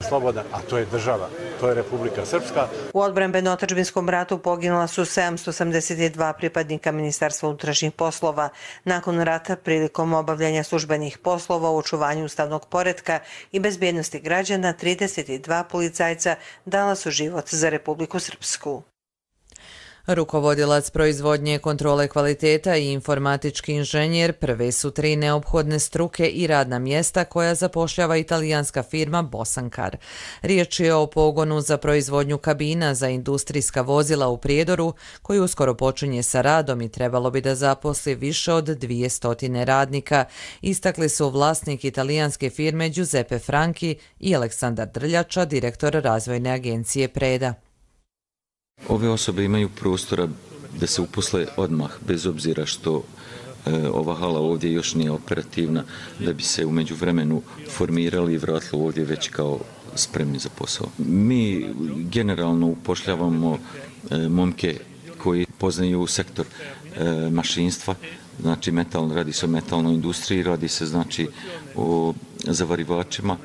slobodan, a to je država, to je Republika Srpska. U odbrambeno-otadžbinskom ratu poginula su 782 pripadnika Ministarstva unutrašnjih poslova. Nakon rata, prilikom obavljanja službenih poslova u očuvanju ustavnog poretka i bezbjednosti građana, 32 policajca dala su život za Republiku Srpsku. Rukovodilac proizvodnje, kontrole kvaliteta i informatički inženjer prve su 3 neophodne struke i radna mjesta koja zapošljava italijanska firma Bosankar. Riječ je o pogonu za proizvodnju kabina za industrijska vozila u Prijedoru, koji uskoro počinje sa radom i trebalo bi da zaposli više od 200 radnika, istakli su vlasnik italijanske firme Giuseppe Franchi i Aleksandar Drljača, direktor razvojne agencije Preda. Ove osobe imaju prostora da se uposle odmah, bez obzira što ova hala ovdje još nije operativna, da bi se u međuvremenu formirali i vratili ovdje već kao spremni za posao. Mi generalno upošljavamo momke koji poznaju sektor mašinstva, znači radi se o metalnoj industriji, radi se znači o zavarivačima,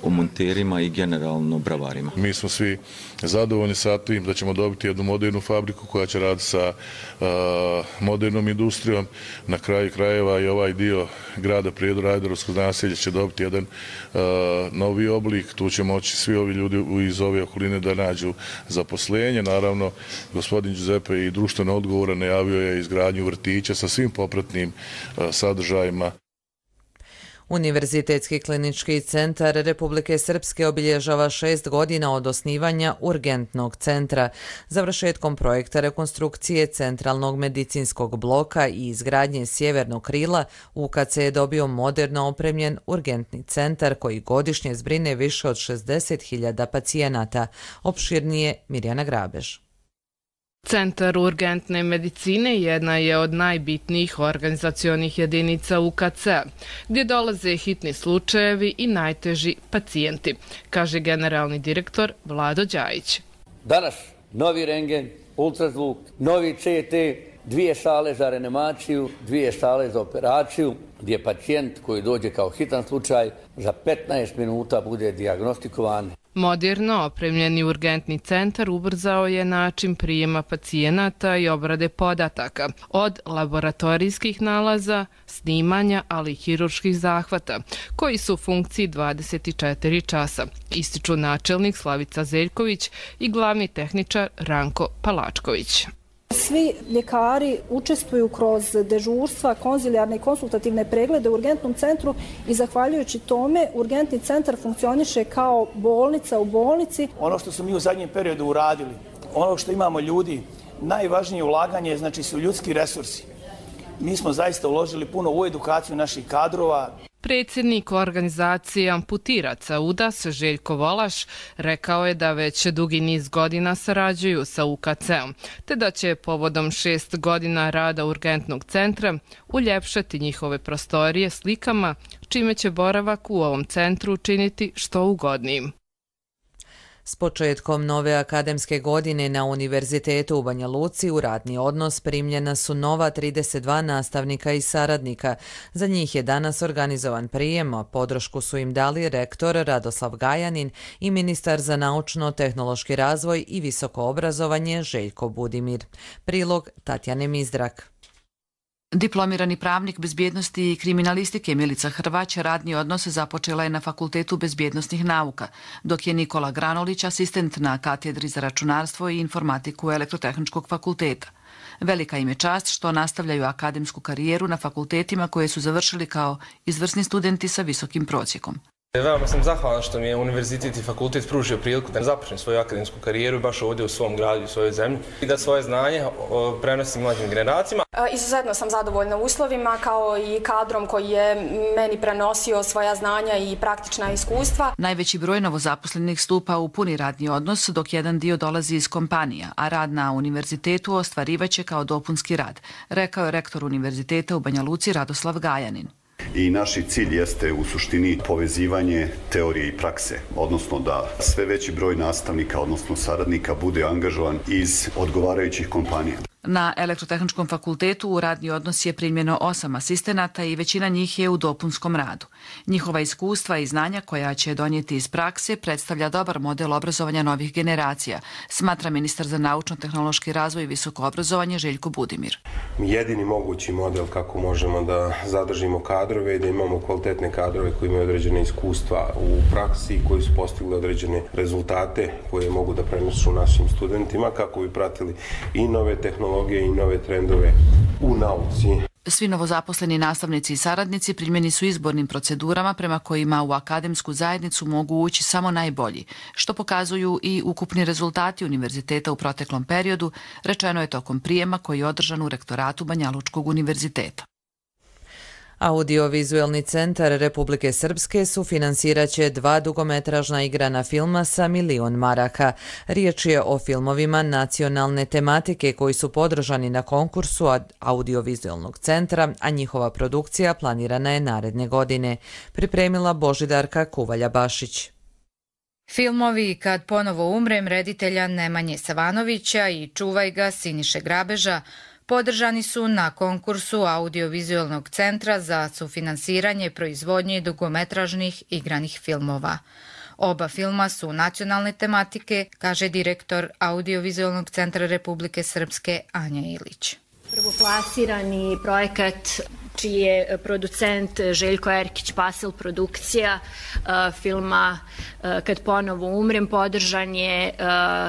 o monterima i generalno bravarima. Mi smo svi zadovoljni sa tim da ćemo dobiti jednu modernu fabriku koja će raditi sa modernom industrijom. Na kraju krajeva i ovaj dio grada Prijedora, Ajdarovskog naselja će dobiti jedan novi oblik. Tu će moći svi ovi ljudi iz ove okoline da nađu zaposlenje. Naravno, gospodin Giuseppe i društveno odgovoran najavio je izgradnju vrtića sa svim popratnim sadržajima. Univerzitetski klinički centar Republike Srpske obilježava 6 godina od osnivanja urgentnog centra. Završetkom projekta rekonstrukcije centralnog medicinskog bloka i izgradnje sjevernog krila, UKC je dobio moderno opremljen urgentni centar koji godišnje zbrine više od 60.000 pacijenata. Opširnije Mirjana Grabež. Centar urgentne medicine jedna je od najbitnijih organizacionih jedinica UKC-a, gdje dolaze hitni slučajevi i najteži pacijenti, kaže generalni direktor Vlado Đajić. Danas novi rengen, ultrazvuk, novi CT, 2 sale za reanimaciju, 2 sale za operaciju, gdje pacijent koji dođe kao hitan slučaj za 15 minuta bude dijagnostikovan. Moderno opremljeni urgentni centar ubrzao je način prijema pacijenata i obrade podataka, od laboratorijskih nalaza, snimanja, ali i hirurških zahvata, koji su u funkciji 24 časa, ističu načelnik Slavica Zeljković i glavni tehničar Ranko Palačković. Svi ljekari učestvuju kroz dežurstva, konzilijarne i konsultativne preglede u urgentnom centru i zahvaljujući tome urgentni centar funkcioniše kao bolnica u bolnici. Ono što smo mi u zadnjem periodu uradili, ono što imamo ljudi, najvažnije ulaganje znači su ljudski resursi. Mi smo zaista uložili puno u edukaciju naših kadrova. Predsjednik organizacije amputiraca UDAS Željko Volaš rekao je da već dugi niz godina sarađuju sa UKC-om, te da će povodom 6 godina rada urgentnog centra uljepšati njihove prostorije slikama, čime će boravak u ovom centru učiniti što ugodnijim. S početkom nove akademske godine na Univerzitetu u Banja Luci u radni odnos primljena su nova 32 nastavnika i saradnika. Za njih je danas organizovan prijem, a podršku su im dali rektor Radoslav Gajanin i ministar za naučno-tehnološki razvoj i visoko obrazovanje Željko Budimir. Prilog Tatjane Mizdrak. Diplomirani pravnik bezbjednosti i kriminalistike Milica Hrvać radni odnos započela je na Fakultetu bezbjednostnih nauka, dok je Nikola Granolić asistent na katedri za računarstvo i informatiku Elektrotehničkog fakulteta. Velika im je čast što nastavljaju akademsku karijeru na fakultetima koje su završili kao izvrsni studenti sa visokim prosjekom. Veoma sam zahvalan što mi je univerzitet i fakultet pružio priliku da započnem svoju akademsku karijeru baš ovdje u svom gradu i u svojoj zemlji i da svoje znanje prenosim mlađim generacijama. Izuzetno sam zadovoljna uslovima kao i kadrom koji je meni prenosio svoja znanja i praktična iskustva. Najveći broj novozaposlenih stupa u puni radni odnos, dok jedan dio dolazi iz kompanija, a rad na univerzitetu ostvarivaće kao dopunski rad, rekao je rektor univerziteta u Banja Luci Radoslav Gajanin. I naši cilj jeste u suštini povezivanje teorije i prakse, odnosno da sve veći broj nastavnika, odnosno saradnika, bude angažovan iz odgovarajućih kompanija. Na Elektrotehničkom fakultetu u radni odnos je primljeno 8 asistenata i većina njih je u dopunskom radu. Njihova iskustva i znanja koja će donijeti iz prakse predstavlja dobar model obrazovanja novih generacija, smatra ministar za naučno-tehnološki razvoj i visoko obrazovanje Željko Budimir. Jedini mogući model kako možemo da zadržimo kadrove i da imamo kvalitetne kadrove koji imaju određene iskustva u praksi, koji su postigli određene rezultate koje mogu da prenesu našim studentima kako bi pratili i nove tehnologije i nove trendove u nauci. Svi novozaposleni nastavnici i saradnici primljeni su izbornim procedurama prema kojima u akademsku zajednicu mogu ući samo najbolji, što pokazuju i ukupni rezultati univerziteta u proteklom periodu, rečeno je tokom prijema koji je održan u rektoratu Banjalučkog univerziteta. Audiovizualni centar Republike Srpske sufinansirat će 2 dugometražna igrana filma sa 1 milion maraka. Riječ je o filmovima nacionalne tematike koji su podržani na konkursu Audiovizualnog centra, a njihova produkcija planirana je naredne godine. Pripremila Božidarka Kuvalja-Bašić. Filmovi Kad ponovo umrem reditelja Nemanje Savanovića i Čuvaj ga Siniše Grabeža podržani su na konkursu Audiovizualnog centra za sufinansiranje proizvodnje dugometražnih igranih filmova. Oba filma su nacionalne tematike, kaže direktor Audiovizualnog centra Republike Srpske Anja Ilić. Prvoplasirani projekat čiji je producent Željko Erkić Pasel produkcija filma Kad ponovo umrem podržan je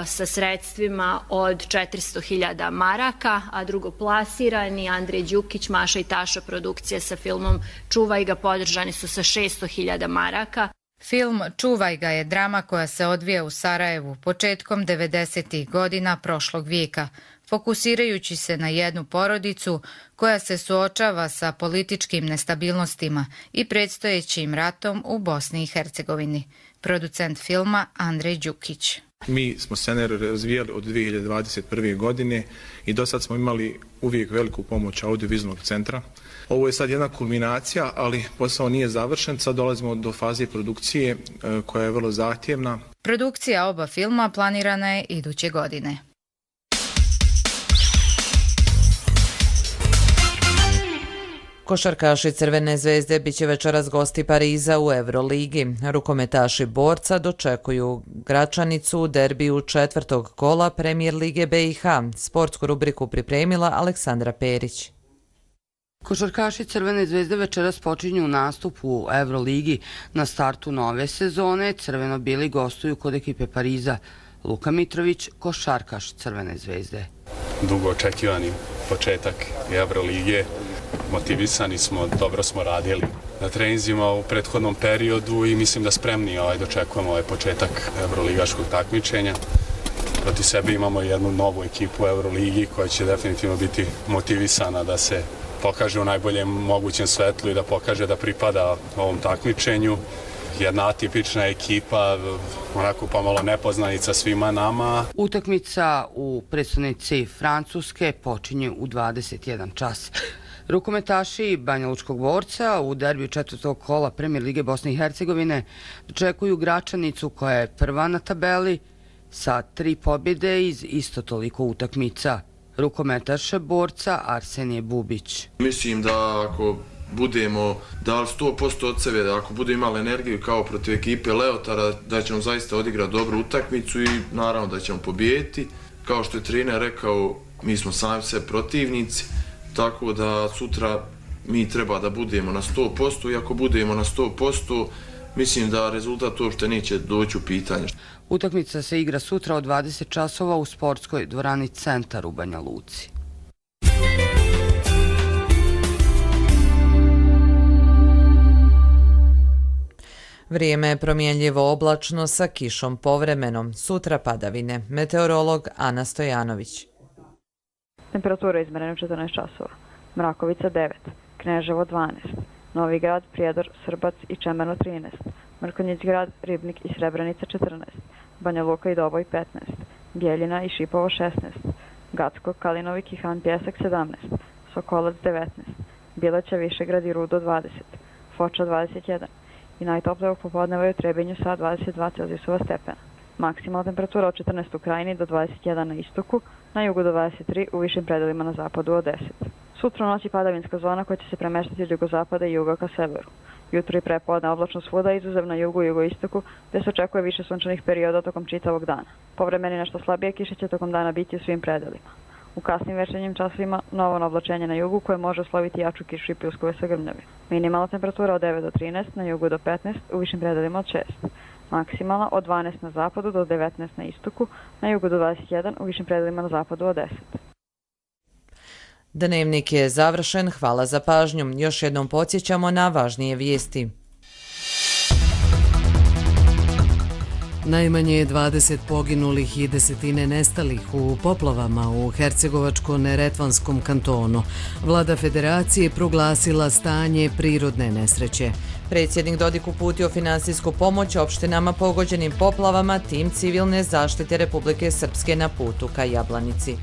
sa sredstvima od 400.000 maraka, a drugoplasirani Andrej Đukić, Maša i Taša produkcija sa filmom Čuvaj ga podržani su sa 600.000 maraka. Film Čuvaj ga je drama koja se odvija u Sarajevu početkom 90. godina prošlog vijeka, fokusirajući se na jednu porodicu koja se suočava sa političkim nestabilnostima i predstojećim ratom u Bosni i Hercegovini. Producent filma Andrej Đukić. Mi smo scenarij razvijali od 2021. godine i do sad smo imali uvijek veliku pomoć Audiovizualnog centra. Ovo je sad jedna kulminacija, ali posao nije završen. Sad dolazimo do faze produkcije koja je vrlo zahtjevna. Produkcija oba filma planirana je iduće godine. Košarkaši Crvene zvezde biće večeras gosti Pariza u Euroligi. Rukometaši Borca dočekuju Gračanicu u derbiju 4. kola Premijer Lige BiH. Sportsku rubriku pripremila Aleksandra Perić. Košarkaši Crvene zvezde večeras počinju nastup u Euroligi. Na startu nove sezone crveno-bili gostuju kod ekipe Pariza. Luka Mitrović, košarkaš Crvene zvezde. Dugo očekivani početak Euroligije. Motivisani smo, dobro smo radili na treninzima u prethodnom periodu i mislim da spremni dočekujemo ovaj početak euroligaškog takmičenja. Proti sebe imamo jednu novu ekipu u Euroligi koja će definitivno biti motivisana da se pokaže u najboljem mogućem svetlu i da pokaže da pripada ovom takmičenju. Jedna atipična ekipa, onako pomalo nepoznanica svima nama. Utakmica u prestonici Francuske počinje u 21 čas. Rukometaši Banjalučkog Borca u derbiju 4. kola Premijer Lige Bosne i Hercegovine dočekuju Gračanicu koja je prva na tabeli sa 3 pobjede iz isto toliko utakmica. Rukometaš Borca Arsenije Bubić. Mislim da ako budemo dali 100% od sebe, da ako budemo imali energiju kao protiv ekipe Leotara, da ćemo zaista odigrati dobru utakmicu i naravno da ćemo pobijediti. Kao što je trener rekao, mi smo sami sve protivnici, tako da sutra mi treba da budemo na 100% i ako budemo na 100%, mislim da rezultat uopšte neće doći u pitanje. Utakmica se igra sutra od 20 časova u sportskoj dvorani Centar u Banja Luci. Vrijeme je promjenljivo oblačno sa kišom povremeno. Sutra padavine. Meteorolog Ana Stojanović. Temperatura izmerena 14 časova. Mrakovica 9, Kneževo 12, Novi Grad, Prijedor, Srbac i Čemerno 13, Mrkonjić Grad, Ribnik i Srebrenica 14, Banja Luka i Doboj 15, Bijeljina i Šipovo 16, Gacko, Kalinovik i Han Pjesak 17, Sokolac 19, Bileća, Višegrad i Rudo 20, Foča 21 i najtoplije popodneva je u Trebinju sa 22 Celzijusova stepena. Maksimalna temperatura od 14 u krajini do 21 na istoku, na jugu do 23, u višim predelima na zapadu od 10. Sutra u noći padavinska zona koja će se premeštati od jugozapada i juga ka severu. Jutro i prepodne oblačno svuda, izuzev na jugu i jugoistoku, gde se očekuje više sunčanih perioda tokom čitavog dana. Povremeni nešto slabije kiše će tokom dana biti u svim predelima. U kasnim večernjim časovima novo oblačenje na jugu koje može usloviti jaču kišu i pljuskove sa grmljavima. Minimalna temperatura od 9 do 13, na jugu do 15, u višim predelima od 6. Maksimalna od 12 na zapadu do 19 na istoku, na jugu do 21, u višim predelima na zapadu od 10. Dnevnik je završen, hvala za pažnju. Još jednom podsjećamo na važnije vijesti. Najmanje je 20 poginulih i desetine nestalih u poplavama u Hercegovačko-Neretvanskom kantonu. Vlada federacije proglasila stanje prirodne nesreće. Predsjednik Dodik uputio finansijsku pomoć opštinama pogođenim poplavama, tim civilne zaštite Republike Srpske na putu ka Jablanici.